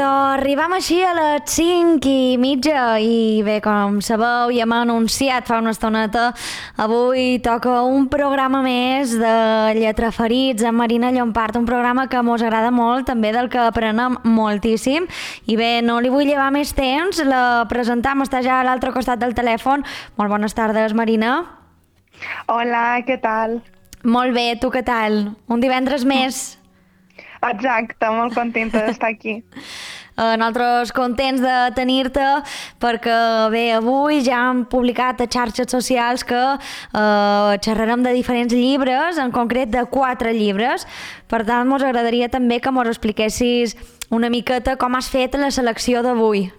Arribam així a les 5:30 i bé, com sabeu, ja hem anunciat fa una estoneta, avui toca un programa més de Lletraferits amb Marina Llompart, un programa que mos agrada molt, també del que aprenem moltíssim. I bé, no li vull llevar més temps, la presentam, està ja a l'altre costat del telèfon. Molt bones tardes, Marina. Hola, què tal? Molt bé, tu què tal? Un divendres més. Exacte, molt contenta d'estar aquí. Nosaltres contents de tenir-te perquè bé, avui ja hem publicat a xarxes socials que xerrarem de diferents llibres, en concret de 4 llibres. Per tant, ens agradaria també que ens expliquessis una miqueta com has fet la selecció d'avui.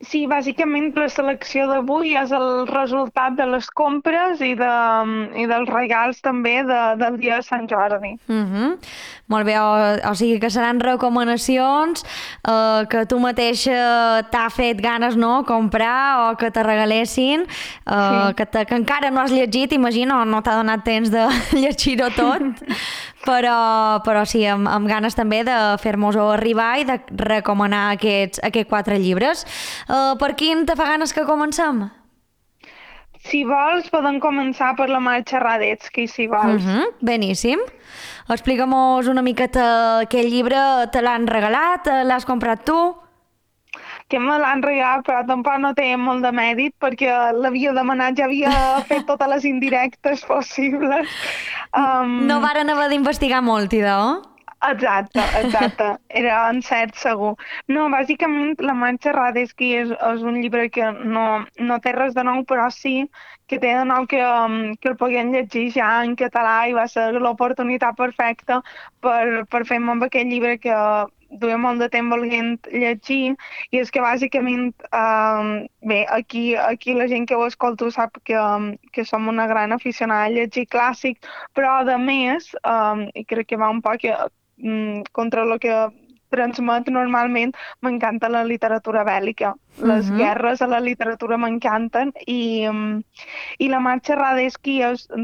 Sí, bàsicament la selecció d'avui és el resultat de les compres i dels regals també del dia de Sant Jordi. Molt bé, o sigui que seran recomanacions que tu mateixa t'ha fet ganes, no?, comprar o que te regalessin, que encara no has llegit, imagino, no t'ha donat temps de llegir-ho tot, però sí, amb ganes també de fer-nos-ho arribar i de recomanar aquests 4 llibres. Per quin te fa ganes que comencem? Si vols, podem començar per la Marxa Radetzky, si vols. Beníssim. Explica'm-nos una miqueta aquell llibre, te l'han regalat, l'has comprat tu? Que me l'han regalat, però tampoc no té molt de mèrit perquè l'havia demanat, ja havia fet totes les indirectes possibles. No varen haver d'investigar molt, idò? Exacte, era encert segur. No, bàsicament la Marxa Radetzky és un llibre que no té res de nou, però sí que té de nou que el podien llegir ja en català i va ser l'oportunitat perfecta per fer-me amb aquest llibre que duia molt de temps volent llegir, i és que bàsicament bé, aquí la gent que ho escolto sap que som una gran aficionada a llegir clàssics, però a més, i crec que va un poc contra el que transmet normalment, m'encanta la literatura bèl·lica. Les guerres a la literatura m'encanten i la Marxa Radetzky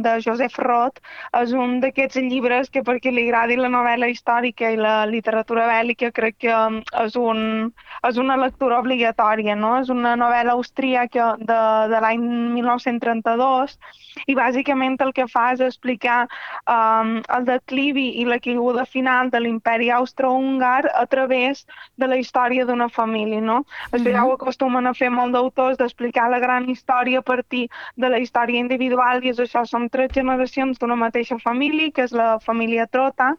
de Joseph Roth és un d'aquests llibres que perquè li agradi la novel·la històrica i la literatura bèl·lica crec que és una lectura obligatòria, no? És una novel·la austríaca de l'any 1932 i bàsicament el que fa és explicar el declivi i la caiguda final de l'imperi austro-húngar a través de la història d'una família, no? Això ja ho acostumen a fer molt d'autors, d'explicar la gran història a partir de la història individual, i és això, són 3 generacions d'una mateixa família, que és la família Trota,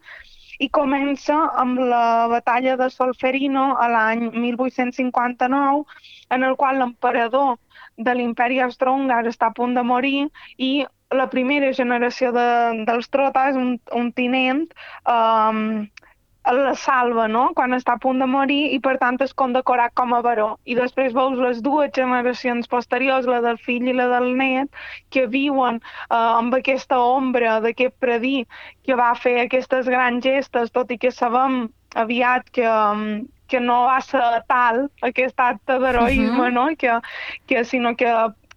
i comença amb la batalla de Solferino a l'any 1859, en el qual l'emperador de l'imperi austro-húngar està a punt de morir i la primera generació dels Trotas, un tinent, la salva, no?, quan està a punt de morir, i per tant és condecorat com a baró. I després veus les 2 generacions posteriors, la del fill i la del net, que viuen amb aquesta ombra d'aquest predí que va fer aquestes grans gestes, tot i que sabem aviat que no va ser tal aquest acte d'heroisme, no?, sinó que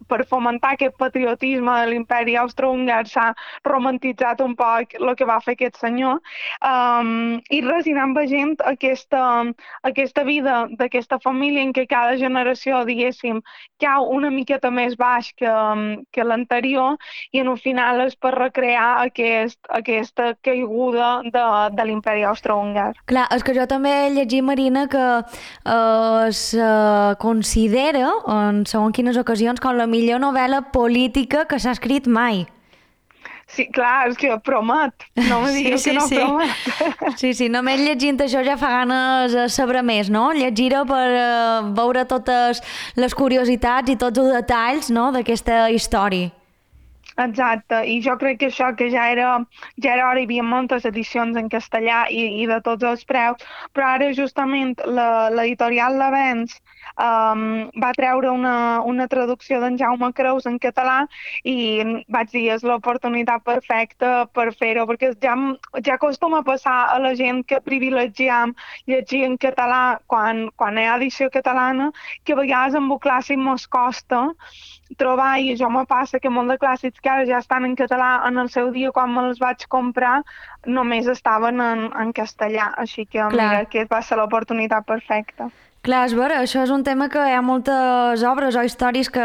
per fomentar aquest patriotisme de l'imperi austro-húngar s'ha romantitzat un poc el que va fer aquest senyor, i res, i anem veient aquesta vida d'aquesta família en què cada generació, diguéssim, cau una miqueta més baix que l'anterior, i en un final és per recrear aquesta caiguda de l'imperi austro-húngar. Clar, és que jo també he llegit, Marina, que es considera, en segons quines ocasions, com la millor novel·la política que s'ha escrit mai. Sí, clar, és que promet. No me digueu que no promet. Sí, només llegint això ja fa ganes de saber més, no? Llegir-ho per veure totes les curiositats i tots els detalls, no?, d'aquesta història. Exacte, i jo crec que això que ja era hora, hi havia moltes edicions en castellà i de tots els preus, però ara justament l'editorial L'Avenç va treure una traducció d'en Jaume Creus en català i vaig dir, és l'oportunitat perfecta per fer-ho, perquè ja acostuma a passar a la gent que privilegiam llegir en català quan hi ha edició catalana, que a vegades amb el clàssic mos costa trobar, i això me passa, que molt de clàssics que ara ja estan en català, en el seu dia quan me'ls vaig comprar només estaven en castellà, així que mira, aquest va ser l'oportunitat perfecta. Clar, és vera, això és un tema que hi ha moltes obres o històries que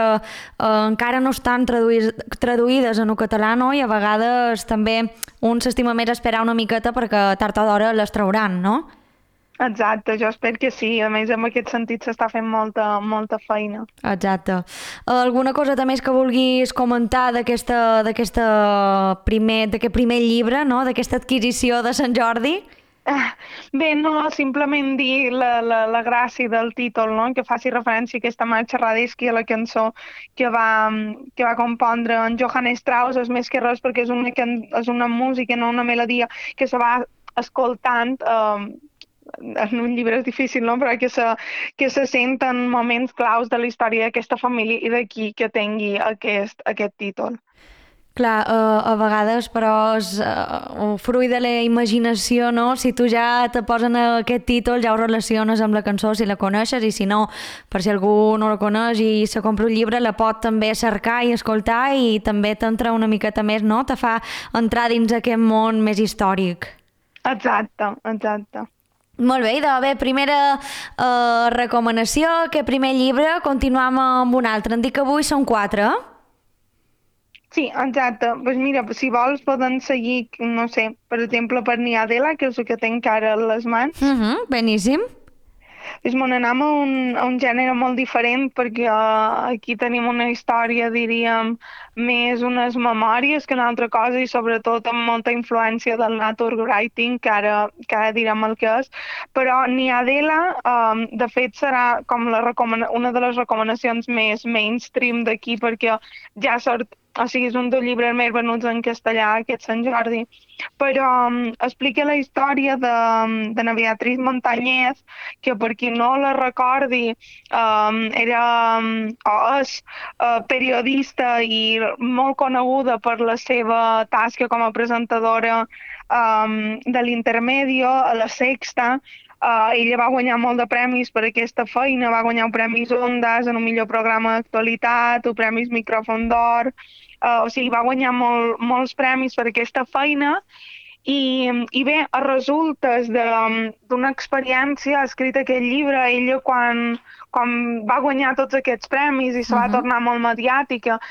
encara no estan traduïdes en el català, no? I a vegades també un s'estima més esperar una miqueta perquè tard o d'hora les trauran, no? Exacte, jo espero que sí. A més, en aquest sentit s'està fent molta feina. Exacte. Alguna cosa també que vulguis comentar d'aquest primer llibre, no? D'aquesta adquisició de Sant Jordi? Bé, no, simplement dir la gràcia del títol, no? Que faci referència a aquesta marxa Radetzky, a la cançó que va compondre en Johann Strauss, és més que res perquè és una música, no una melodia que se va escoltant en un llibre és difícil, no? Però que se senten moments claus de la història d'aquesta família i d'aquí que tingui aquest títol. Clar, a vegades, però, és fruit de la imaginació, no? Si tu ja te posen aquest títol, ja ho relaciones amb la cançó si la coneixes, i si no, per si algú no la coneix i se compra un llibre, la pot també cercar i escoltar i també t'entra una miqueta més, no? Te fa entrar dins aquest món més històric. Exacte. Molt bé, idò. Bé, primera recomanació, aquest primer llibre, continuem amb un altre. Em dic que avui són 4. Sí, exacte. Pues mira, si vols poden seguir, no sé, per exemple, per Niadela, que és el que tinc ara a les mans. Beníssim. És anem a un gènere molt diferent perquè aquí tenim una història, diríem, més unes memòries que una altra cosa i sobretot amb molta influència del nature writing, que ara direm el que és. Però Niadela, de fet, serà com una de les recomanacions més mainstream d'aquí perquè ja sort. O sigui, és un dels llibres més venuts en castellà, aquest Sant Jordi. Però explica la història de na Beatriz Montañez, que per qui no la recordi era o és periodista i molt coneguda per la seva tasca com a presentadora de l'Intermedio a la Sexta. Ella va guanyar molt de premis per aquesta feina, va guanyar premis Ondas en un millor programa d'actualitat, o premis Micròfon d'Or, o sigui, va guanyar molts premis per aquesta feina i bé, a resultes d'una experiència, ha escrit aquest llibre, ella quan va guanyar tots aquests premis i se va tornar molt mediàtica,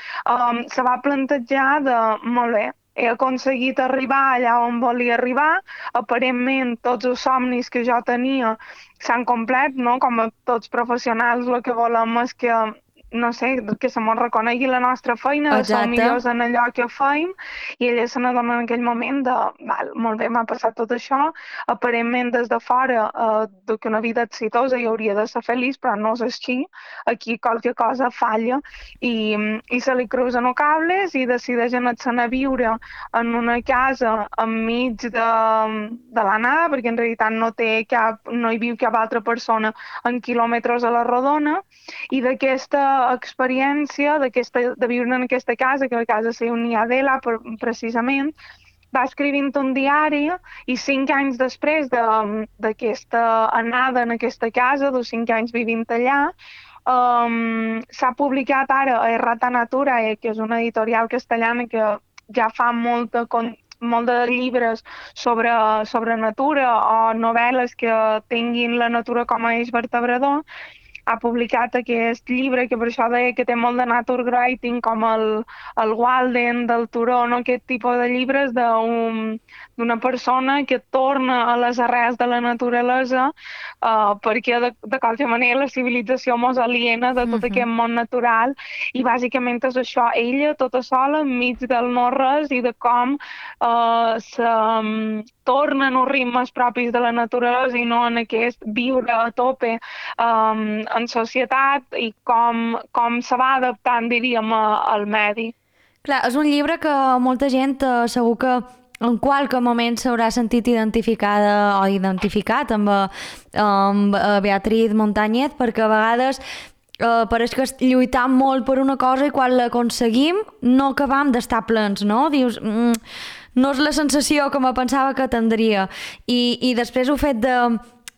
se va plantejar molt bé, he aconseguit arribar allà on volia arribar, aparentment tots els somnis que jo tenia s'han complert, no? Com a tots professionals el que volem és que, no sé, que se mos reconegui la nostra feina, de ser millors en allò que fem, i ella se n'adona en aquell moment molt bé, m'ha passat tot això, aparentment des de fora que una vida exitosa i hauria de ser feliç, però no és així, aquí qualque cosa falla i se li cruzen els cables i decideix anar-se'n a viure en una casa enmig de la nada, perquè en realitat no hi viu cap altra persona en quilòmetres a la rodona, i d'aquesta experiència de viure en aquesta casa, que la casa es diu Niadela precisament, va escrivint un diari i 5 anys després d'aquesta anada en aquesta casa, dels 5 anys vivint allà, s'ha publicat ara a Errata Naturae, que és una editorial castellana que ja fa molt de llibres sobre natura o novel·les que tinguin la natura com a eix vertebrador. Ha publicat aquest llibre que per això deia que té molt de nature writing, com el Walden, del Turó, no? Aquest tipus de llibres d'una persona que torna a les arrels de la naturalesa perquè de qualsevol manera la civilització mos aliena de tot aquest món natural i bàsicament és això, ella tota sola enmig del no-res i de com tornen els ritmes propis de la naturalesa i no en aquest viure a tope en societat i com se va adaptant, diríem, al medi. Clar, és un llibre que molta gent segur que en qualque moment s'haurà sentit identificada o identificat amb Beatriz Montañez, perquè a vegades pareix que lluitam molt per una cosa i quan l'aconseguim no acabam d'estar plens, no? Dius, no és la sensació que me pensava que tindria. I després el fet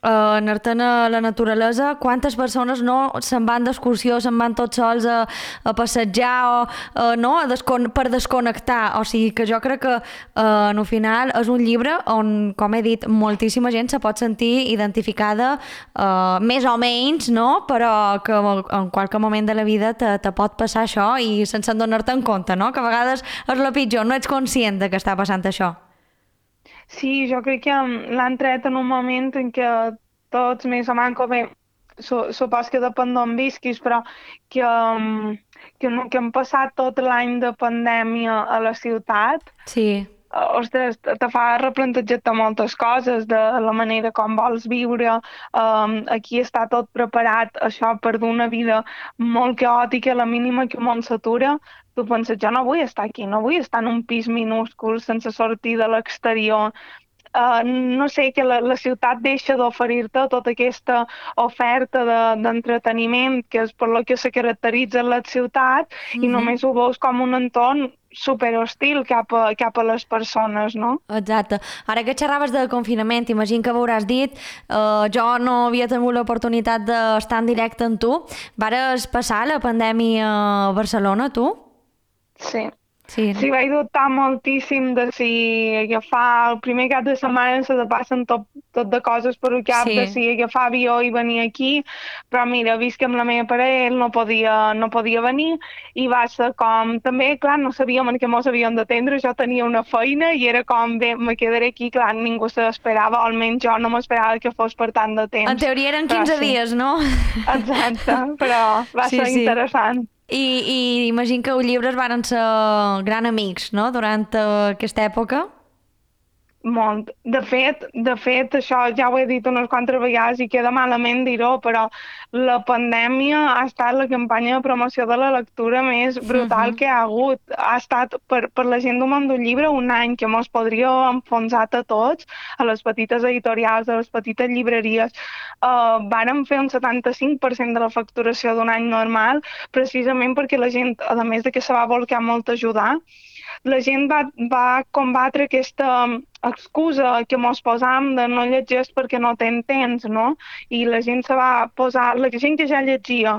anar-te'n a la naturalesa, quantes persones no se'n van d'excursió, se'n van tots sols a passejar o no, per desconnectar. O sigui que jo crec que en el final és un llibre on, com he dit, moltíssima gent se pot sentir identificada, més o menys, no? Però que en qualque moment de la vida te pot passar això i sense donar-te en compte, no? Que a vegades és el pitjor, no ets conscient de que està passant això. Sí, jo crec que l'han tret en un moment en què tots més o menys, bé, supos que depèn d'on visquis, però que, que hem passat tot l'any de pandèmia a la ciutat, Sí. ostres, te fa replantejar-te moltes coses de la manera com vols viure. Aquí està tot preparat, això, per dur una vida molt caòtica, la mínima que un món s'atura. Tu penses, jo no vull estar aquí, no vull estar en un pis minúscul sense sortir de l'exterior. No sé, que la ciutat deixa d'oferir-te tota aquesta oferta d'entreteniment, que és per lo que se caracteritza la ciutat, i només ho veus com un entorn super hostil cap a les persones, no? Exacte. Ara que xerraves de confinament, imagino que m'hauràs dit, jo no havia tingut l'oportunitat d'estar en directe amb tu. Vares passar la pandèmia a Barcelona, tu? Sí. Sí. Sí, vaig dubtar moltíssim de si agafar el primer cap de setmana se te passen tot de coses per el cap, de Sí. si agafar avió i venir aquí, però mira, vist que amb la meva parella ell no podia venir, i va ser com, també, clar, no sabíem en què mos havíem d'atendre, jo tenia una feina i era com, bé, me quedaré aquí, clar, ningú se l'esperava, o almenys jo no m'esperava que fos per tant de En temps, teoria eren però 15 sí, dies, no? exacte, però va Sí, ser sí. interessant. I imagino que els llibres varen ser gran amics, no?, durant aquesta època. Molt. De fet, això ja ho he dit unes quantes vegades i queda malament dir-ho, però la pandèmia ha estat la campanya de promoció de la lectura més brutal que hi ha hagut. Ha estat per la gent del món del llibre un any que mos podria haver enfonsat a tots, a les petites editorials, a les petites llibreries. Vàrem fer un 75% de la facturació d'un any normal, precisament perquè la gent, a més de que se va volcar molt a ajudar, la gent va combatre aquesta excusa que mos posam de no llegir perquè no ten temps, no? I la gent se va posar, la gent que ja llegia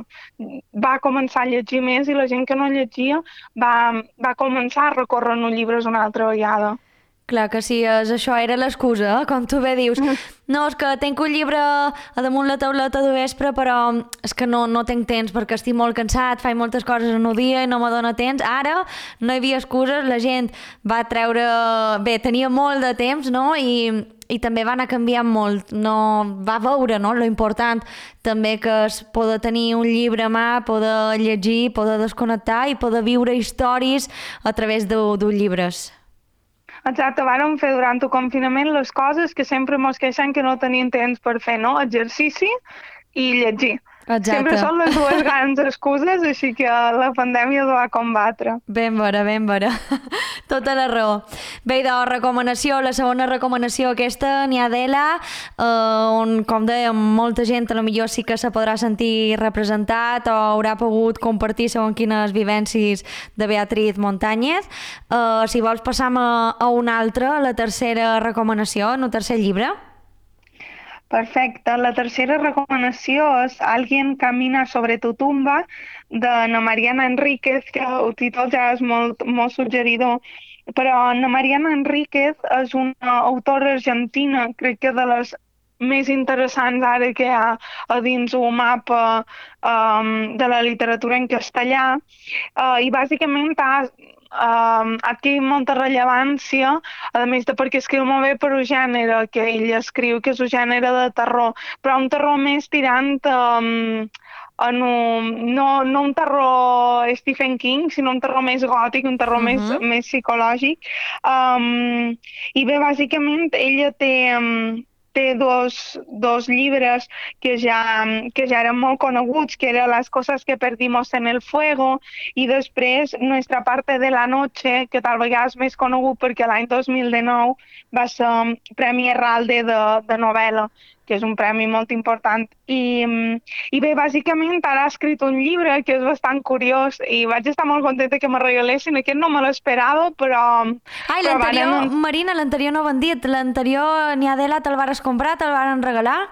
va començar a llegir més, i la gent que no llegia va començar a recórrer els llibres una altra vegada. Clar que sí, això era l'excusa, com tu bé dius. No, és que tinc un llibre a damunt la tauleta de vespre, però és que no tinc temps perquè estic molt cansat, faig moltes coses en un dia i no me dóna temps. Ara no hi havia excuses, la gent va treure... Bé, tenia molt de temps, no?, i també va anar canviant molt. No, va veure, no?, lo important també que és poder tenir un llibre a mà, poder llegir, poder desconnectar i poder viure històries a través dels llibres. Exacte, vàrem fer durant el confinament les coses que sempre mos queixem que no tenien temps per fer, no? Exercici i llegir. Sempre Exacte. són les dues grans excuses, així que la pandèmia ho va combatre. Ben vera, ben vera. Tota la raó. Bé, de recomanació, la segona recomanació aquesta, n'hi ha d'Ela, on, com dèiem, molta gent a lo millor sí que se podrà sentir representat o haurà pogut compartir segons quines vivències de Beatriz Montañez. Si vols passam a una altra, la tercera recomanació, en el tercer llibre. Perfecte. La tercera recomanació és Alguien camina sobre tu tumba, d'Anna Mariana Enríquez, que el títol ja és molt, molt suggeridor. Però Anna Mariana Enríquez és una autora argentina, crec que de les més interessants ara que hi ha a dins un mapa de la literatura en castellà, i bàsicament adquirit molta rellevància, a més de perquè escriu molt bé per un gènere que ell escriu, que és un gènere de terror, però un terror més tirant no un terror Stephen King, sinó un terror més gòtic, un terror més psicològic. I bé, bàsicament, ella té dos llibres que ja eren molt coneguts, que eren Las cosas que perdimos en el fuego, i després Nuestra parte de la noche, que tal vegada és més conegut perquè l'any 2019 va ser Premi Herralde de novel·la, que és un premi molt important. I bé, bàsicament ara ha escrit un llibre que és bastant curiós i vaig estar molt contenta que me regalessin. Aquest no me l'esperava, però... Ai, l'anterior, Marina, l'anterior no ho han dit. L'anterior, n'hi ha d'Ela, te'l vares comprar, te'l varen regalar?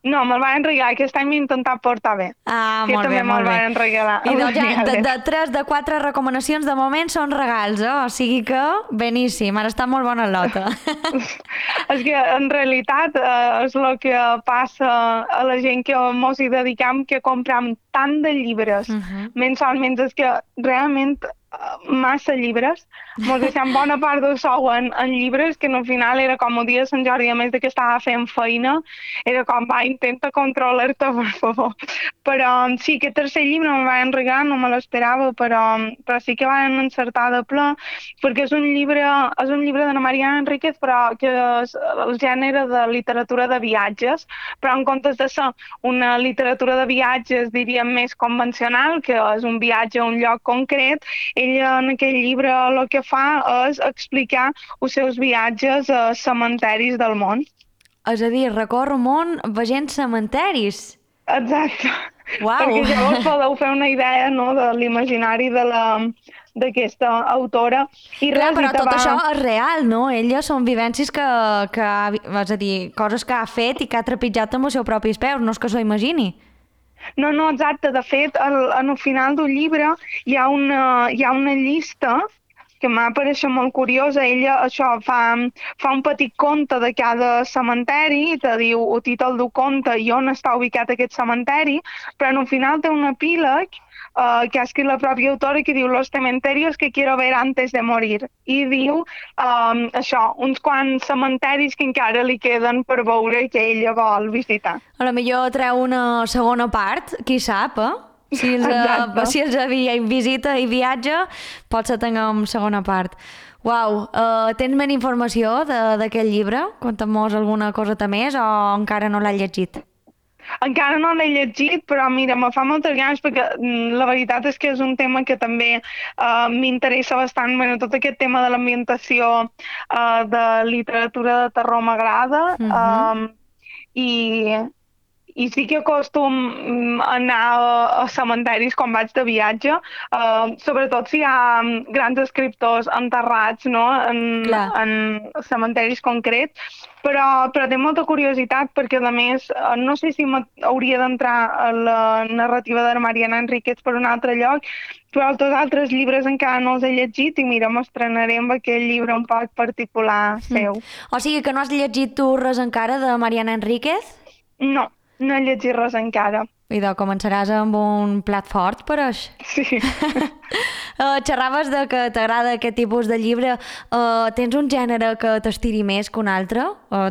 No, me'l van regalar. Aquest any m'he intentat portar bé. Ah, Que molt bé, també me'l molt bé. van regalar. I doncs ja, de Genial. 3 de 4 recomanacions de moment són regals, o sigui que beníssim, ara està molt bona nota. És que en realitat és el que passa a la gent que mos hi dedicam, que compram tant de llibres mensualment, és que realment massa llibres, mos deixem bona part del sou en llibres, que al final era com el dia de Sant Jordi, a més de que estava fent feina, era com, va, intenta controlar-te, per favor. Però sí, aquest tercer llibre me'l van regalar, no me l'esperava, però sí que van encertar de ple, perquè és un llibre d'Anna Mariana Enríquez, però que és el gènere de literatura de viatges, però en comptes de ser una literatura de viatges, diríem, més convencional, que és un viatge a un lloc concret, ella en aquell llibre el que fa és explicar els seus viatges a cementeris del món. És a dir, recorro món veient cementeris. Exacte. Uau! Perquè llavors podeu fer una idea, no, de l'imaginari d'aquesta autora. I Clar, res, però i te tot va... això és real, no? Ella són vivències és a dir, coses que ha fet i que ha trepitjat amb els seus propis peus, no és que s'ho imagini. No, no, exacte. De fet, en el final del llibre hi ha una llista que m'ha pareixet molt curiosa. Ella això fa un petit conte de cada cementeri i te diu el títol del conte i on està ubicat aquest cementeri, però en el final té un epíleg que ha escrit la pròpia autora, que diu «Los cementerios que quiero ver antes de morir». I diu això, uns quants cementeris que encara li queden per veure i que ella vol visitar. A lo millor treu una segona part, qui sap, eh? Exacte. Si els visita i viatja, potser tinguem segona part. Uau, tens més informació d'aquest llibre? Conta'm-nos alguna coseta més o encara no l'has llegit? Encara no l'he llegit, però mira, me fa moltes ganes perquè la veritat és que és un tema que també m'interessa bastant. Bueno, tot aquest tema de l'ambientació de literatura de terror m'agrada. I, i sí que acostum anar a cementeris quan vaig de viatge, sobretot si hi ha grans escriptors enterrats, no? Clar. En cementeris concrets, però té molta curiositat perquè, a més, no sé si hauria d'entrar a la narrativa de Mariana Enríquez per un altre lloc, però els altres llibres encara no els he llegit i mira, m'estrenaré amb aquell llibre un poc particular seu. O sigui que no has llegit tu res encara de Mariana Enríquez? No, no he llegit res encara. Idò, començaràs amb un plat fort per això. Sí. Xerraves de que t'agrada aquest tipus de llibre. Tens un gènere que t'estiri més que un altre?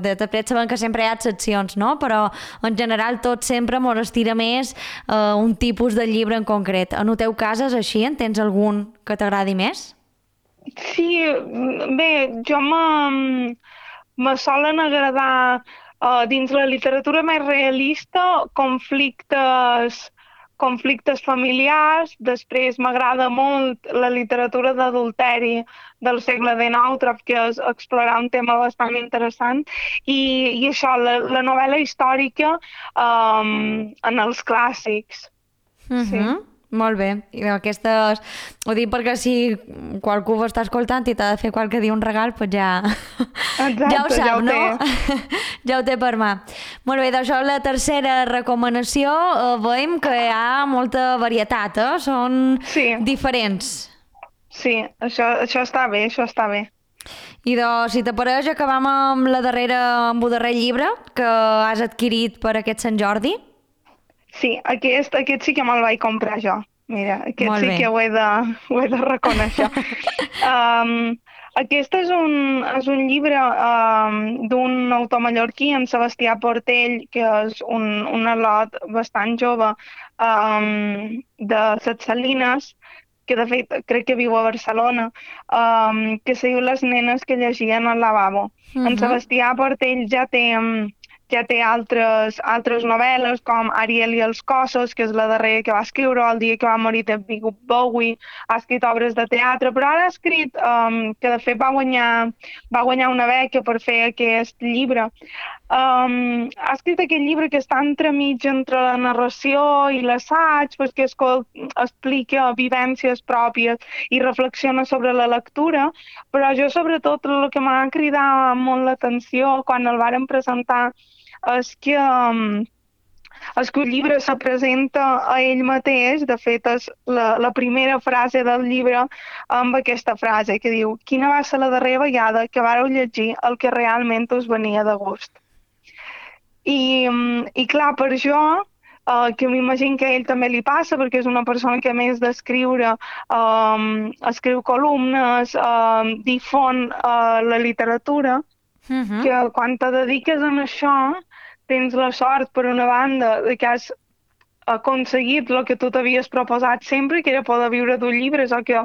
De fet, sabem que sempre hi ha excepcions, no? Però en general tot sempre mos estira més un tipus de llibre en concret. En el teu cas és així? En tens algun que t'agradi més? Sí, bé, me solen agradar dins la literatura més realista conflictes familiars. Després m'agrada molt la literatura d'adulteri del segle XIX, trob que és explorar un tema bastant interessant. I això, la novel·la històrica en els clàssics. Sí. Molt bé. I aquestes... Ho dic perquè si qualcú ho està escoltant i t'ha de fer qualque dia un regal, doncs ja... Exacte, ja ho sap, ja ho no? té. Ja ho té per mà. Molt bé, d'això la tercera recomanació veiem que hi ha molta varietat, Són diferents. Sí, això està bé, això està bé. I doncs, si t'apareix, acabam amb el darrer llibre que has adquirit per aquest Sant Jordi. Sí, aquest sí que me'l vaig comprar jo. Mira, aquest sí que ho he de reconèixer. Aquest és un llibre d'un autor mallorquí, en Sebastià Portell, que és un al·lot bastant jove de Ses Salines, que de fet crec que viu a Barcelona, que se diu Les nenes que llegien al lavabo. En Sebastià Portell ja té altres novel·les, com Ariel i els cossos, que és la darrera que va escriure, el dia que va morir David Bowie. Ha escrit obres de teatre, però ara ha escrit, que de fet va guanyar una beca per fer aquest llibre. Ha escrit aquest llibre que està entremig entre la narració i l'assaig, perquè explica vivències pròpies i reflexiona sobre la lectura, però jo sobretot el que m'ha cridat molt l'atenció quan el varen presentar és que és que el llibre se presenta a ell mateix, de fet és la primera frase del llibre amb aquesta frase que diu: quina va ser la darrera vegada que vareu llegir el que realment us venia de gust? I clar, per això, que m'imagino que a ell també li passa, perquè és una persona que a més d'escriure, escriu columnes, difon la literatura, que quan te dediques a això tens la sort, per una banda, de que has aconseguit el que tu t'havies proposat sempre, que era poder viure d'un llibre, o que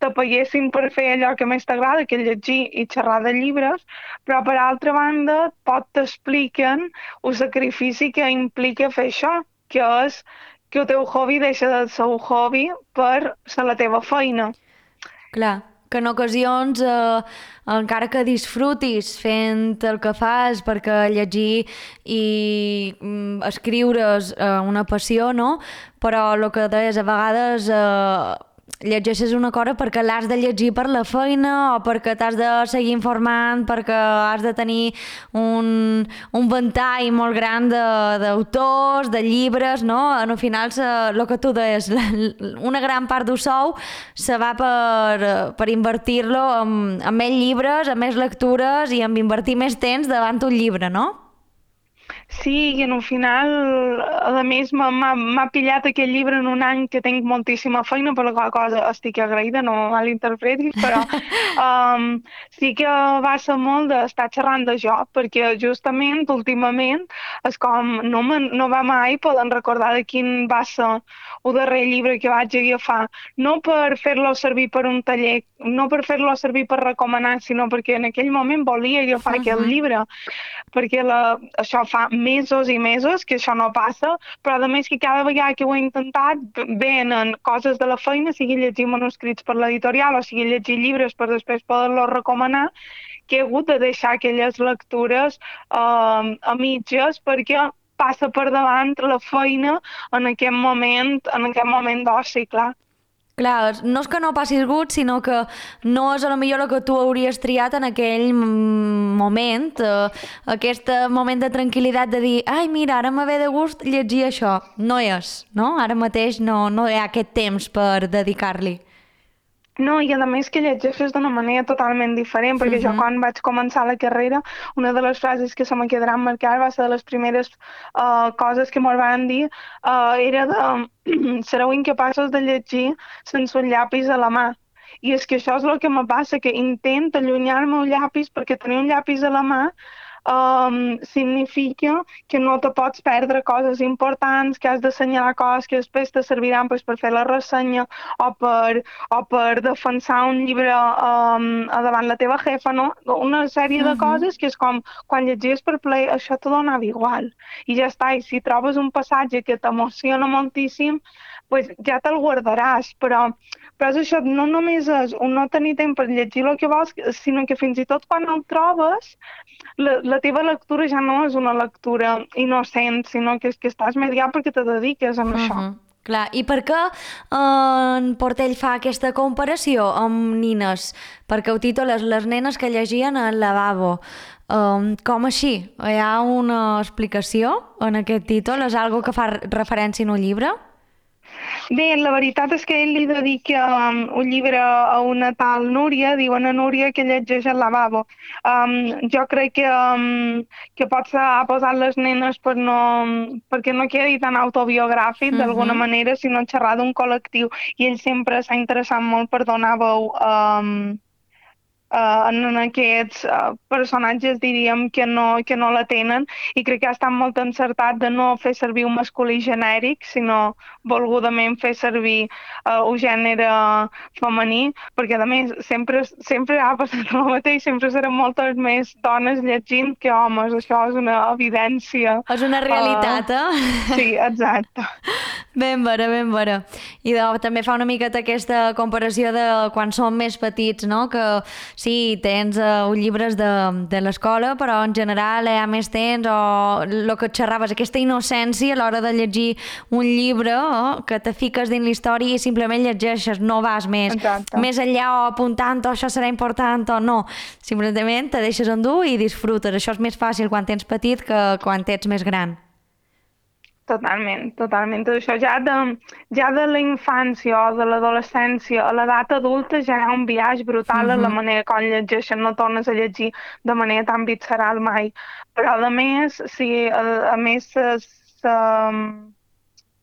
te paguessin per fer allò que més t'agrada, que és llegir i xerrar de llibres, però per altra banda pot t'expliquen el sacrifici que implica fer això, que és que el teu hobby deixa de ser un hobby per ser la teva feina. Clar, que en ocasions, encara que disfrutis fent el que fas, perquè llegir i escriure és una passió, no? Però el que deies, a vegades llegeixes una cosa perquè l'has de llegir per la feina o perquè t'has de seguir informant, perquè has de tenir un ventall molt gran d'autors, de llibres, no? Al final, el que tu deies, una gran part del sou se va per invertir-lo en més llibres, en més lectures i en invertir més temps davant un llibre, no? Sí, i al final, a més, m'ha pillat aquest llibre en un any que tinc moltíssima feina, per la qual cosa estic agraïda, no malinterpretis, però sí que va ser molt d'estar xerrant de jo, perquè justament, últimament, és com no va mai poder recordar de quin va ser el darrer llibre que vaig agafar, no per fer-lo servir per un taller, no per fer-lo servir per recomanar, sinó perquè en aquell moment volia agafar aquest llibre, perquè això fa mesos i mesos que això no passa, però a més que cada vegada que ho he intentat venen coses de la feina, sigui llegir manuscrits per l'editorial o sigui llegir llibres per després poder-los recomanar, que he hagut de deixar aquelles lectures a mitges perquè passa per davant la feina en aquest moment d'oci, clar. Clar, no és que no passis gust, sinó que no és a lo millor el que tu hauries triat en aquell moment, aquest moment de tranquil·litat de dir, ai, mira, ara me ve de gust llegir això. No és, no? Ara mateix no hi ha aquest temps per dedicar-li. No, i a més que llegeixes d'una manera totalment diferent, perquè jo quan vaig començar la carrera, una de les frases que se me quedaran marcades va ser de les primeres coses que m'ho van dir, era de sereu incapaços de llegir sense un llapis a la mà. I és que això és el que me passa, que intento allunyar-me un llapis perquè tenir un llapis a la mà significa que no te pots perdre coses importants, que has d'assenyalar coses que després te serviran per fer la ressenya o per defensar un llibre davant la teva jefa, no? Una sèrie de coses que és com quan llegies per plaer, això te donava igual. I ja està, i si trobes un passatge que t'emociona moltíssim, pues ja te'l guardaràs, però és això, no només és un no tenir temps per llegir el que vols, sinó que fins i tot quan el trobes, la teva lectura ja no és una lectura innocent, sinó que és que estàs mediat perquè te dediques a això. Clar, i per què en Portell fa aquesta comparació amb nines? Perquè ho titules Les nenes que llegien al lavabo. Com així? Hi ha una explicació en aquest títol? És algo que fa referència en un llibre? Bé, la veritat és que ell li dedica un llibre a una tal Núria, diuen a Núria que llegeix al lavabo. Jo crec que potser ha posat les nenes perquè no quedi tan autobiogràfic d'alguna manera, sinó xerrar d'un col·lectiu. I ell sempre s'ha interessat molt per donar veu en aquests personatges, diríem, que no la tenen, i crec que ha estat molt encertat de no fer servir un masculí genèric, sinó volgudament fer servir un gènere femení, perquè a més sempre ha passat el mateix, sempre seran moltes més dones llegint que homes, això és una evidència. És una realitat, Sí, exacte. Ben vera, ben vera. I també fa una miqueta aquesta comparació de quan som més petits, no? Que sí, tens llibres de l'escola, però en general hi ha més temps, o el que et xerraves, aquesta innocència a l'hora de llegir un llibre, que te fiques dins la història i simplement llegeixes, no vas més enllà o apuntant, o això serà important o no. Simplement te deixes endur i disfrutes. Això és més fàcil quan tens petit que quan ets més gran. Totalment, totalment. Tot això ja de la infància o de l'adolescència a l'edat adulta ja hi ha un biaix brutal en la manera com llegeixen, no tornes a llegir de manera tan visceral mai. Però a més, sí, a més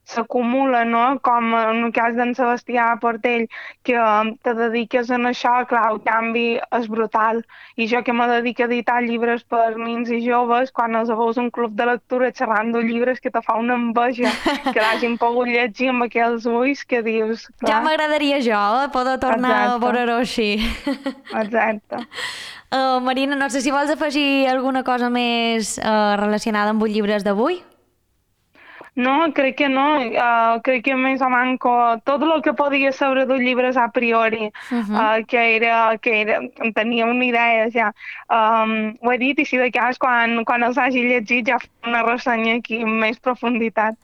s'acumula, no? Com en el cas d'en Sebastià Portell, que te dediques en això, clar, el canvi és brutal. I jo que me dedico a editar llibres per nens i joves, quan els veus un club de lectura xerrant de llibres que te fa una enveja, que l'hagin pogut llegir amb aquells ulls que dius, clar. Ja m'agradaria jo, poder tornar a veure-ho així. Exacte. Marina, no sé si vols afegir alguna cosa més relacionada amb els llibres d'avui? No, crec que no. Crec que més o manco tot el que podia saber dels llibres a priori, que tenia una idea ja. Ho he dit i si de cas quan els hagi llegit ja faré una ressenya aquí amb més profunditat.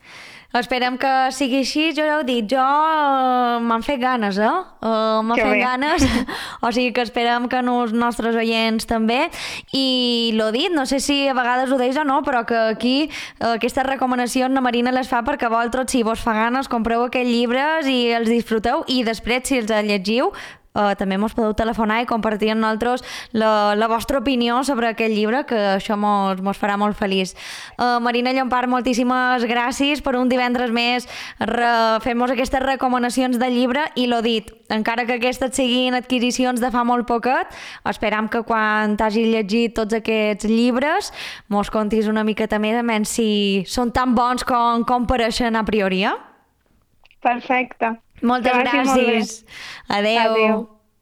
Esperem que sigui així, jo ja ho he dit, m'han fet ganes, m'han fet ganes, o sigui que esperem que els nostres oients també, i l'ho dit, no sé si a vegades ho deis o no, però que aquí aquestes recomanacions la Marina les fa perquè vosaltres, si vos fa ganes, compreu aquests llibres i els disfruteu, i després, si els llegiu, també mos podeu telefonar i compartir amb nosaltres la vostra opinió sobre aquest llibre, que això mos farà molt feliç. Marina Llompart, moltíssimes gràcies per un divendres més fem-nos aquestes recomanacions del llibre, i l'ho dit, encara que aquestes siguin adquisicions de fa molt poquet, esperam que quan t'hagis llegit tots aquests llibres mos contis una miqueta més si són tan bons com pareixen a priori. Perfecte. Moltes gràcies. Adéu.